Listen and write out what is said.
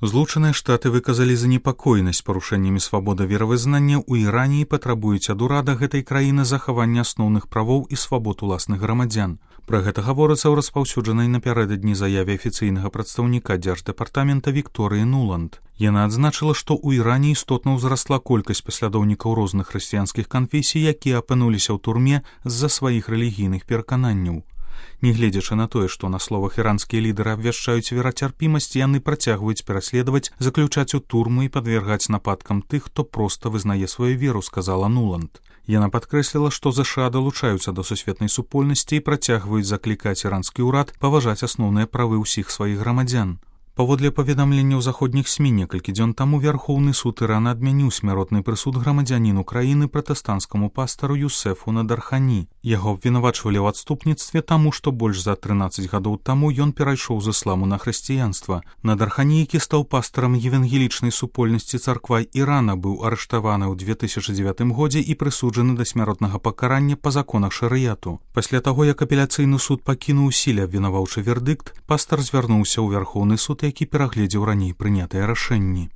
Злучаныя Штаты выказалі занепакоенасць парушэннямі свабоды веравызнання ў Іране і патрабуюць ад урада гэтай краіны захавання асноўных правоў і свабод уласных грамадзян. Пра гэта гаворыцца ў распаўсюджанай напярэдадні заяве афіцыйнага прадстаўніка дзярждэпартамента Вікторыі Нуланд. Яна адзначыла, што ў Іране істотна ўзрасла колькасць паслядоўнікаў розных хрысціянскіх канфесій, якія апынуліся ў турме з-за сваіх рэлігійных перакананняў. Нягледзячы на тое, што на словах іранскія лідары абвяшчаюць верацярпімасць, яны працягваюць пераследаваць, заключаць у турмы і падвергаць нападкам тых, хто проста вызнае сваю веру, сказала Нуланд. Яна падкрэсліла, што ЗША далучаюцца да сусветнай супольнасці і працягваюць заклікаць іранскі ўрад паважаць асноўныя правы ўсіх сваіх грамадзян. Паводле паведамленняў заходніх СМІ, некалькі дзён таму Вярхоўны суд Ірана адмяніў смяротны прысуд грамадзяніну краіны пратэстанцкаму пастару Юсефу Надархані. Яго абвінавачвалі ў адступніцтве таму, што больш за 13 гадоў таму ён перайшоў з ісламу на хрысціянства. Надархані, які стаў пастарам евангелічнай супольнасці царква Ірана, быў арыштаваны ў 2009 годзе і прысуджаны да смяротнага пакарання па законах шарыяту. Пасля таго, як апеляцыйны суд пакінуў у сіле абвінаваўчы вердыкт, пастар звярнуўся ў Вярхоўны суд, які перагледзеў раней прынятыя рашэнні.